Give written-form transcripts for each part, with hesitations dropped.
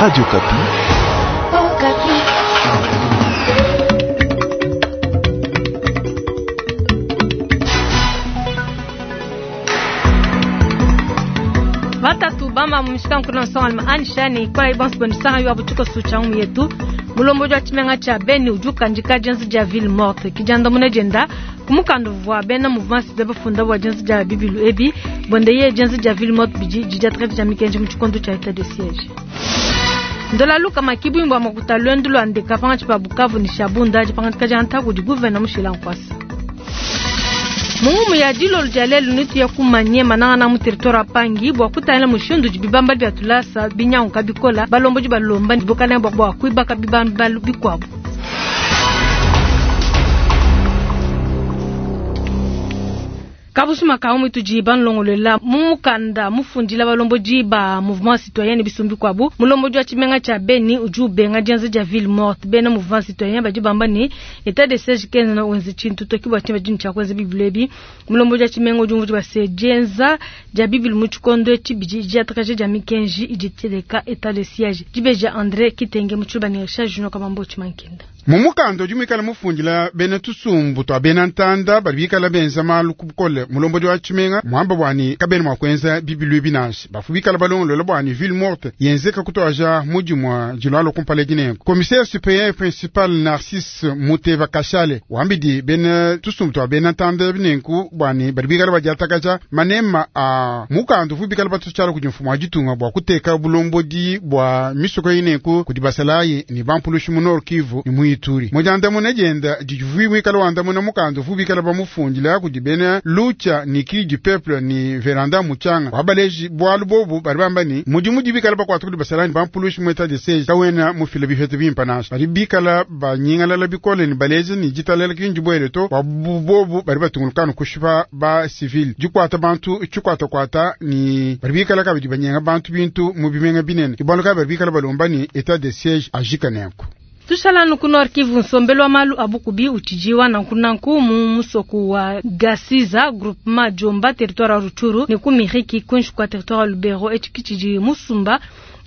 Radio Okapi. Oh, Batatu bamba mu mishikanku na nsongalume anshani ikala bonso bendisanga yo abutuko sucha mu yetu mulombodi wa tshimenga tshia Beni udi ukandika dienza dia ville morte kidiandamuna dienda ku mukanda uvua bena mouvement citoyen bafunda bua dienza dia bibilu ebi buenda yeye dienza dia ville morte bidi didiatrete dia mikenji mu tshikondo tshia etat de siège. Ndola luka makibuimbo makuta lwendu lwa ndeka pangatshi pa Bukavu ni Shabunda dipangatika dia ntaku di gouverneur Mushila Nkwasa. Mungumu ya dilolo dia lelu nitu ya kumanye manangana mu territoire wa Pangi bua kutangila mushindu udi bibamba bia tulasa binyanguka bikola balombodi balomba bukana bua kuibaka bibambalu bikuabu. Kabusuma ka tudi banlongolola mu mukanda mufundila balombodi ba mouvement citoyen ne bisumbi kuabu mulombodi wa tshimenga tshia Beni udi ubenga dienza dia ville morte bena mouvement citoyen badi bamba ne etat de siège kenza na wenze tshintu toki bua tshiba dinu tshia kuenza bibilu ebi mulombodi wa tshimenga udi umvuija bua se dienza dia bibilu mu tshikondo etshi bidi diatakaja dia mikenji idi teleka etat de siège dibeja André Kitenge mu tshiluba ne Richard Junior Kabambo Tshimankenda. Mu mukanda udi muikale mufundila bena tusumbu tua bena ntanda badi bikala benza malu ku bukole mulombodi wa tshimenga muamba bwani kabena mua kuenza bibilu ebi nansha bafu bikala balongolola bwani ville morte yenzeka kutuaja mudimua dilwalo kumpala dinengo commissaire supérieur principal Narcisse Muteva Kashale wambidi bena tusumbu tua bena ntanda binenku bwani badi bikala badiatakaja manema a mukanda uvu bikala batutshala kudi mfumu wa ditunga bua kuteka bulombodi bua misoko inenku kudi basalayi ni bampulushi mu Nord Kivu ni mu Ituri mujandamuna dienda divuyi muikala wandamuna mukanda uvu bikala bamufundila kudi bena lucha ni cri du peuple ni veranda muchanga wabaleji bwalu bobu bari bamba ni mudimu dibikala bakwata kudi basalayi ni bampulushi mu etat de siège kawena mufila bifete bimpa nansha bari bikala banyingalala bikole ni baleji ni ditalela kinji bwele to bwa bobu bari batungulukana kushipa ba civil dikwata bantu tshikwatakwata ni bari bikala kabidi banyenga bantu bintu mu bimenga binene ibwalu kabi bari bikala balomba ni etat de siège ajika nenku. Tushala nuku Nord Kivu nsombelu wa malu abukubi uchijiwa nankunanku mu musoku wa Gasiza groupement Jomba territoire ya Rutshuru ne ku Miriki kunshi kwa territoire ya Lubero etshi musumba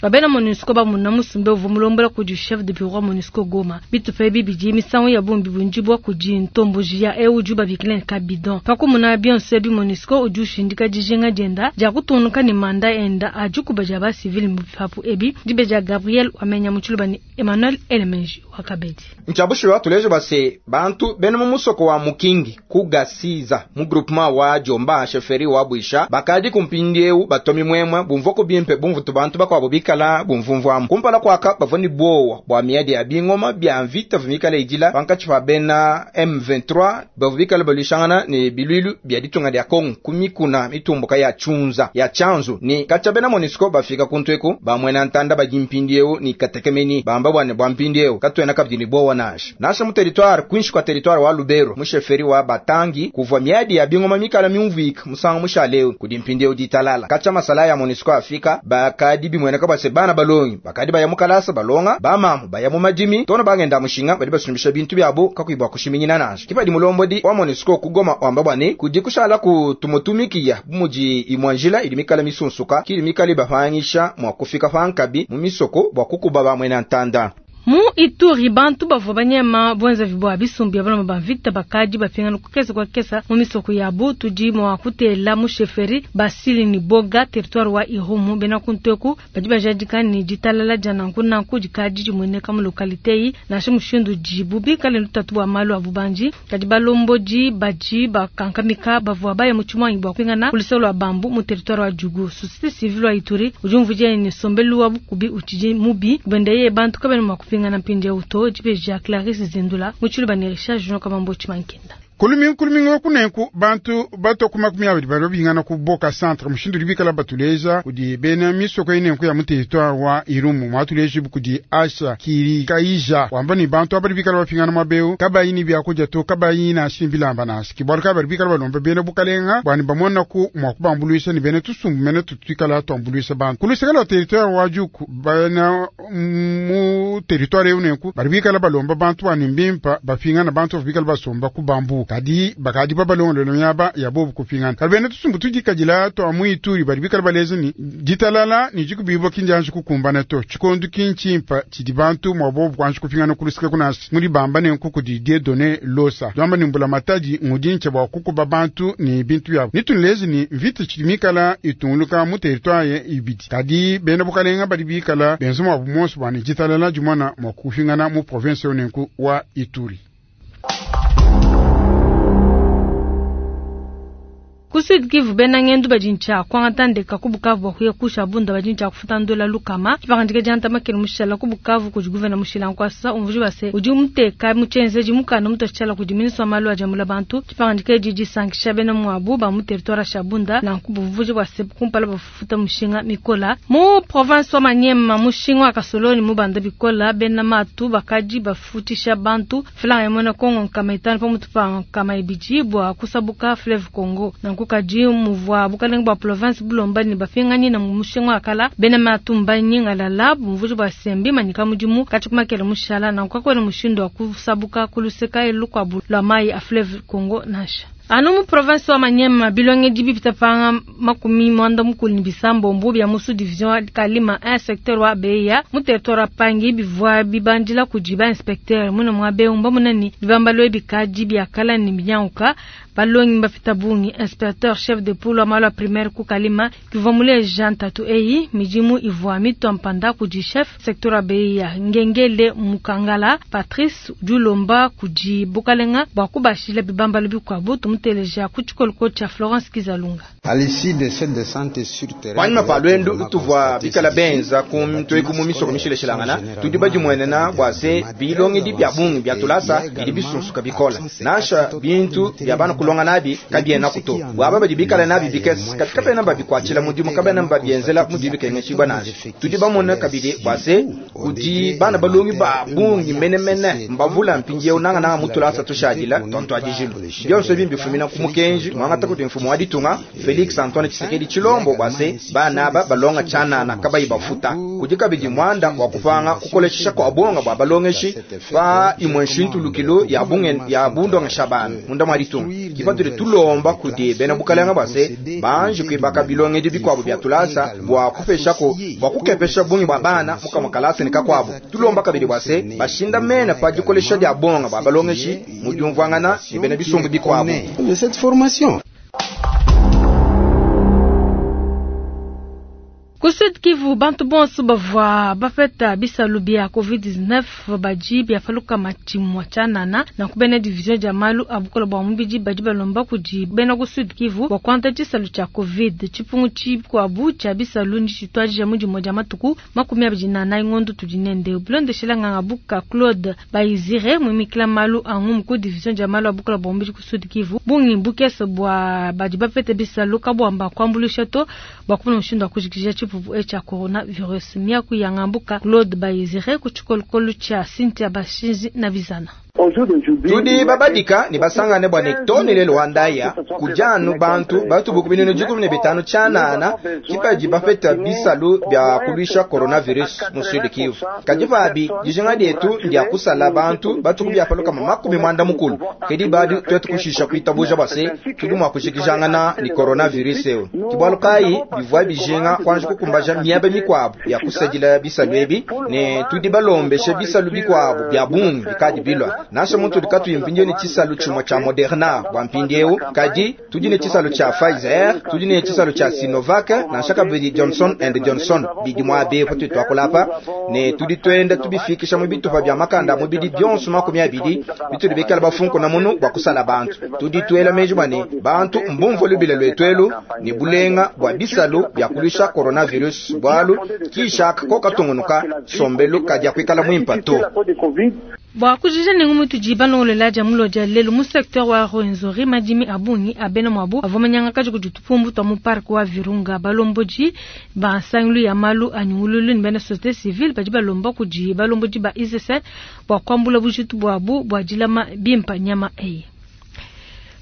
babena MONUSCO bamuna musumbe uvua mulombola kudi chef de bureau MONUSCO Goma bitupa ebi bidi misangu ya bumbi bunjibwa kudi ntomboji ya eu udi babikila kabidon pakumuna bionso ebi MONUSCO udi ushindika dijinga dienda dia kutungunuka ne manda enda adikuba dia ba civil mu bipapu ebi dibe dia Gabriel wamenya mu tshiluba ne Emmanuel Elemenji wakabedi nchabushiwa tuleje base bantu bena mu musoko wa Mukingi kugasiza mu groupement wa Jomba chefferie wa Bwisha bakadi kumpindiewu batomi mwemwe bumvoko bimpe bumvutu bantu bakwabo bikala bumvumvwamu kumpala kwaka bavua ni bowa bwa miadi ya bingoma bya mvita vimikala idila pankatshi pa bena M23 bavua bikala balwishangana ne bilwilu bya ditunga dia Kongo kumikuna mitumbuka ya chunza ya chanzu ni kacha bena MONUSCO bafika kuntweku bamwena ntanda badi mpindiewu ni katekemeni bamba bwane bwa mpindiewu katwena kabidi ni bowa nasha nasha mu territoire kwinshi kwa territoire wa Lubero mu chefferie wa Batangi kuvua miadi ya bingoma mikala miumvika musanga mushaleu kudi mpindiewu ditalala kacha masala ya MONUSCO afika bakadi bimweneka base bana balongi bakadi baya mukalasa balonga bamamu baya mu madimi tono bagenda mushinga badi basumbisha bintu byabo kakuibwa kushiminyina nansha kipadi mulombodi wa MONUSCO kugoma wamba bwane kudi kushala ku tumutumikiya bumudi imwanjila ili mikala misunsuka kili mikala ibapangisha mwa kufika pankabi mu misoko bwa kukuba bamwena ntanda. Mu Ituri bantu bavua banyema bwenza vibwa bisumbi ya baloma bamvita bakadi bapingana kukesa kwa kesa mu misoko yabo tudi mwa kutela mu chefferie basili ni boga territoire wa Irumu bena kunteku badi bajadika ni ditalala dia nanku nanku dikadi dimueneka mu localité yi nansha mushindu dibu bikale lutatu bua malu a bubanji kadi balombodi badi bakankamika bavua baya mu tshimwangi bua kupingana ku luseke lua bambu mu territoire wa Djugu. Société civile wa Ituri udi umvuija ne nsombelu wa bukubi utshidi mubi benda ye bantu kabena mua kupingana mpindieu to dibeja Clarisse Zindula mu tshiluba ne Richard Junior Kabambo Tshimankenda. Kulumingu kulumingu wakunenku bantu batoku 20 bali babingana ku Boka Centre mushindu libikala batuleja kudi bena misoko inenku ya mu territoire wa Irumu mwatuleji kudi Asha Kirikaija wamba ni bantu abali bikala bapingana mabeu kabayi ni byakuja to kabayi na shimbilamba nasi kibwalu kabali bikala balomba bena bukalenga bwani bamona ku mwakubambuluisha ni bena tusumbu mene tutuikala twambuluisha bantu kulusekala wa territoire wa Djugu bana mu territoire unenku bali bikala balomba bantu bwani mbimpa bapingana bantu bikala basomba ku bambu. Kadi bakadi babalongolola miaba ya bobu kupingana. Kadi bena tusumbu tudikadila twa mu Ituri badi bikala baleza ni ditalala ni dikubibwa kindianji kukumbana to. Tshikondu kinchimpa tshidi bantu mwa bobu kwanji kupingana kulusika kunasi. Mudi bamba ne nkuku di Dieudonné Losa. Dwamba ni mbula matadi ngudinche bwa kukuba bantu ni bintu yabo. Nitunlezi ni mvita tshidi mikala itunguluka mu territoire ibidi. Kadi bena bukalenga badi bikala benza mwa bumonso bwa ni ditalala dimona mwa kupingana mu province yonenku wa Ituri. Ku Sud Kivu bena ngendu badi ntsha kuangata ndeka ku Bukavu bua kuya kusha bunda badi ntsha kufuta ndola lukama. Tshipangandika dia ntamakele mushala ku Bukavu kudi gouverneur mushila nkwasa umvuji base udi muteka mutshenzeji mukanda mutoshala kudi ministre wa malu a diambula bantu. Tshipangandika edi disankisha bena muabu ba mu territoire sha bunda nanku buvuji bwase kumpala bafuta mushinga mikola. Mu province wa Maniema mushinga wa Kasoloni mu banda bikola bena matu bakadi bafutisha bantu franga ya mona Kongo nkama itano pamutu pa nkama ibidi bua kusabuka fleuve Congo. Nanku kadi muvua bukalenge bua province bulomba ni bapingani na mushinga wa kala bena matumba nyingalala bumvuji bwa sembi manyika mudimu kati kumakele mushala nanku kakwena mushindu wa kusabuka kuluseka elukwabu lwa mayi a fleuve Congo nasha. Anu mu province wa Maniema bilonge dibi bitapanga makumi mwanda mukulu ni bisambo mbubi ya musu division wa Kalima 1 secteur wa Beya mu territoire wa Pangi bivwa bibandila kujiba inspecteur muna mwa Beumba munani bibambalo ebikadi byakala ni binyanguka balongi bafita bungi inspecteur chef de poule wa malu primaire ku Kalima kivwa mule Jean Tatu eyi mijimu ivwa mitwa mpanda kuji chef secteur wa Beya Ngengele Mukangala Patrice Dulomba kuji Bukalenga bwa kubashila bibambalo bikwabu tumuteleja ku tshikoloko tsha Florence Kizalunga. Panyima pa lwendu tuvua bikala benza ku mitueku mu misoko mishileshilangana tudi badimwenena bua se bilongedi bia bungi bia tulasa bidi bisunsuka bikola nasha bintu bia bana kulonga nabi kabiena kuto bwaba badi bikala nabi bikese kati kabena babikuatshila mudimu kabena babienzela mudimu bikengeshibwa nansha tudi bamona kabidi bua se kudi bana balongi ba bungi menemene mbavula mpindieu nangananga mu tulasa tushadila tonto adijilu bionso ebi mbifumina ku mukenji mwangata kuti mfumu wa ditunga Felix Antoine Tshisekedi Tshilombo bua se bana aba balonga tshanana kabayi bafuta kudi kabidi mwanda wa kupanga kukolesha kwa bonga bua balongeshi pa imwe nshintulukilo ya bunge ya bundongesha bana munda mwa ditunga kipatule tulomba kudi bena bukalenga bua se banji kuibaka bilongedi bikuabu bia tulasa bua kupeshako bua kukepesha bungi bua bana mukamua kalasa ne kakuabu tulomba kabidi bua se bashinda mena pa dikolesha dia bonga bua balongeshi mu diumvuangana ne bena bisumbu bikuabu. De cette formation. Ku Sud Kivu bantu bonso bavua bapeta bisalu bia COVID-19 badi biapaluka matshimua tshianana na kubena division dia malu a bukola bua mubidi badi balomba kudi bena ku Sud Kivu bua kuanta tshisalu tshia Covid tshipungu tshikuabu tshia bisalu ndi tshituadija mu dia matuku 24 ngondo tudi nende bulondeshela nganga buka Claude Bayizire muimikila malu a ngumu ku division dia malu a bukola bua mubidi ku Sud Kivu bungi bukese bua badi bapeta bisalu kabuamba kuambulisha to bua kumona mushindu wa kujikija tshipupu cha coronavirus miaku ya ngambuka Claude Bayizire ku tshikolokolo tshia Cynthia Bashinzi na Bizana. Tudi babadika ni basangane bwa ne lelo wandaya kujanu bantu batubuku binunu 15 tshanana kipaji bapeta bisalu bya kulwisha coronavirus mu Sud Kivu kadi pabi dijinga dietu ndia kusala bantu batuku byapaluka 90 kedi badi twetu kushisha kuitabuja base tudi mwa kushikijangana ni coronavirus eo kibwalu kayi bivwa bijinga kwanja kukumbaja miaba mikwabu ya kusadila bisalu ebi ne tudi balombeshe bisalu bikwabu bya bungi bikadi bilwa nasha muntu dikatu impindio ni tshisalu tshimwe tsha Moderna bwa mpindieu kadi tudi ne tshisalu tsha Pfizer tudi ne tshisalu tsha Sinovac nansha kabidi Johnson and Johnson bidi mwabe patu twakulapa ne tudi twenda tubifikisha mu bitupa bya makanda mu bidi byonso 20 bituli bikala bafunko na munu bwa kusala bantu tudi twela meji bwane bantu mbumvo lubila lwetwelu ni bulenga bwa bisalu bya kulisha coronavirus bwalu kisha koka tungunuka sombelu kadi kwikala mwimpa to Bwa kujija nengu mutu jibalongolela dia mulo dia lelu mu secteur wa Rwenzori madimi abungi abena mwabu avomanyanga kaji kuditupumbu twa mu parc wa Virunga balomboji ba nsangulu ya malu anyungululu ni bena société civile badi balomba kudi balomboji ba ICC bwa kwambula bujitu bwabu bwa dilama bimpa nyama eyi.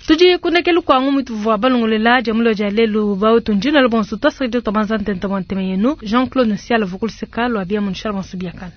Tudi kunekelu kwangu mutu vwa balongolela dia mulo dia lelu ba utunjina lo bonso twasakidi twabanza ntenta bwa nteme yenu Jean-Claude Nsiala vukulu seka lwa bia munshara bonso biakana.